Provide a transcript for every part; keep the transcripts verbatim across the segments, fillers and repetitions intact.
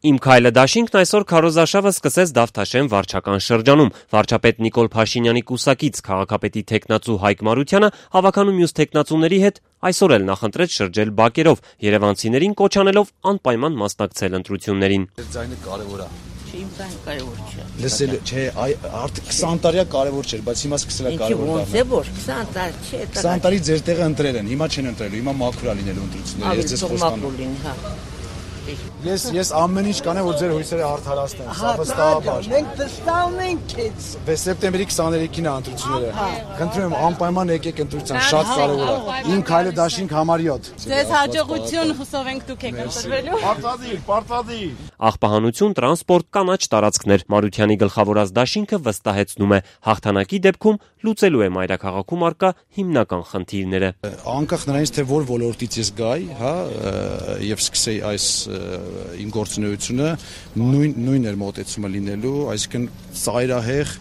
Իմ քայլը դաշինքն այսօր քարոզարշավը սկսեց Դավթաշեն վարչական շրջանում։ Վարչապետ Նիկոլ Փաշինյանի կուսակից քաղաքապետի թեկնածու Հայկ Մարությանը հավաքանու մյուս թեկնածուների հետ այսօր էլ նախընտրեց շրջել բակերով, երևանցիներին կոչ անելով անպայման մասնակցել ընտրություններին։ Ձայնը կարևոր է։ Իմ ձայնը կարևոր չէ։ Լսել չէ, արդեն քսան տարի կարևոր չէր, բայց հիմա սկսել է կարևոր դառնալ։ Ոնց է որ քսան տարի չէ։ քսան տարի ձեր տեղը ընտրել են, հիմա չեն ընտրելու, հիմա մաքուր է լինելու ընտրությունները։ Ես ձեզ խոստանում եմ։ Ես ես ամեն ինչ կանեմ, որ ձեր հույսերը արդարացնեն, սա վստահաբար։ Մենք վստահում ենք քեզ։ Սեպտեմբերի քսաներեքին է ընտրությունները։ Խնդրում եմ անպայման եկեք ընտրության, շատ կարևոր է։ Իմ քայլը դաշինք համար յոթ։ Ձեզ հաջողություն, հուսով ենք դուք եք ընտրվելու։ Պարտադիր, պարտադիր։ Աղբահանություն, տրանսպորտ, կանաչ տարածքներ։ Մարությանի գլխավորած դաշինքը վստահեցնում է, հաղթանակի դեպքում լուծելու է մայրաքաղաքում առկա հիմնական խնդիրները։ Անկախ նրանից, թե որ ոլորտից ես գայի, հա, եւ սկսեի այս իմ գործունեությունը, նույն նույն էր մոտեցումը լինելու, այսինքն ծայրահեղ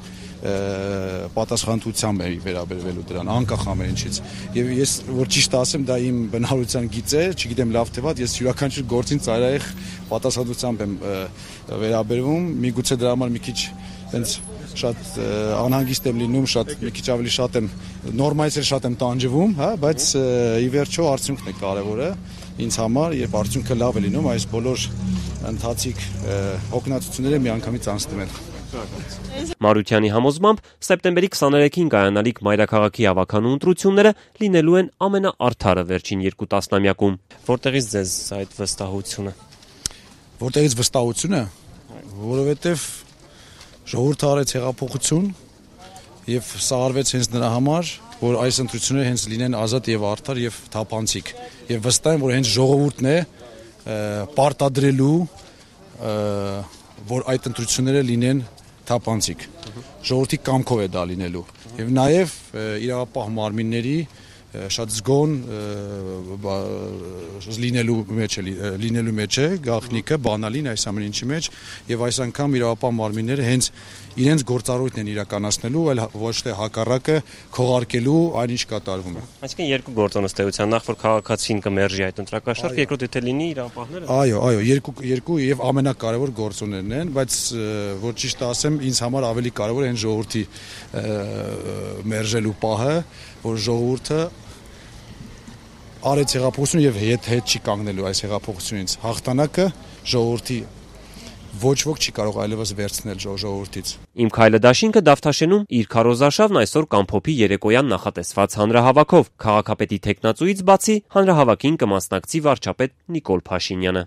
պատասխանատվությամբ է վերաբերվելու դրան, անկախ ամեն ինչից։ Եվ ես որ ճիշտ ասեմ, դա իմ բնավորության գիծ է, չգիտեմ լավ թե վատ, ես յուրաքանչյուր գործին ծայրահեղ պատասխանատվությամբ եմ վերաբերվում, միգուցե դրա համար մի քիչ հենց շատ անհանգիստ եմ լինում, շատ մի քիչ ավելի շատ եմ նորմայից էլ շատ եմ տանջվում, հա, բայց ի վերջո արդյունքն է կարևորը ինձ համար եւ արդյունքը լավ է լինում այս բոլոր ընթացիկ հոգնածությունները միանգամից անցնում են։ Մարությանի համոզմամբ սեպտեմբերի քսաներեքին կայանալիք մայրաքաղաքի հավաքանու ընտրությունները լինելու են ամենաարդարը վերջին երկու տասնամյակում։ Որտեղից ձեզ այդ վստահությունը։ Որտեղից վստահությունը, որովհետեւ ժողովուրդը արեց հեղափոխություն եւ սա արվեց հենց նրա համար, որ այս ընտրությունները հենց լինեն ազատ եւ արդար եւ թափանցիկ։ Եվ վստահ եմ, որ հենց ժողովուրդն է պարտադրելու, որ այդ ընտրությունները լինեն թափանցիկ։ Ժողովրդի կամքով է դա լինելու։ Եվ նաեւ իրավապահ մարմինների շատ զգոն լինելու մեջ է լինելու մեջ է գաղտնիքը բանալին այս ամեն ինչի մեջ եւ այս անգամ իրավապահ մարմինները հենց իրենց գործառույթն են իրականացնելու, այլ ոչ թե հակառակը քողարկելու այն ինչ կատարվում է։ Այսինքն երկու գործոն ըստեյության, նախ որ քաղաքացին կմերժի այդ ընտրակաշառք, երկրորդ եթե լինի իրավապահները։ Այո, այո, երկու երկու եւ ամենակարևոր գործոններն են, բայց որ ճիշտ ասեմ, ինձ համար ավելի կարևոր է հենց ժողովրդի մերժելու պահը, որ ժողովուրդը արեց հեղափոխություն եւ հետ հետ չի կանգնելու այս հեղափոխությունից։ Հաղթանակը ժողովրդի ոչ ոք չի կարող այլևս վերցնել ժողովրդից։ Իմ քայլը դաշինքը Դավթաշենում իր քարոզարշավն այսօր կամփոփի երեկոյան նախատեսված հանրահավաքով։ Քաղաքապետի թեկնածուից բացի հանրահավաքին կմասնակցի վարչապետ Նիկոլ Փաշինյանը։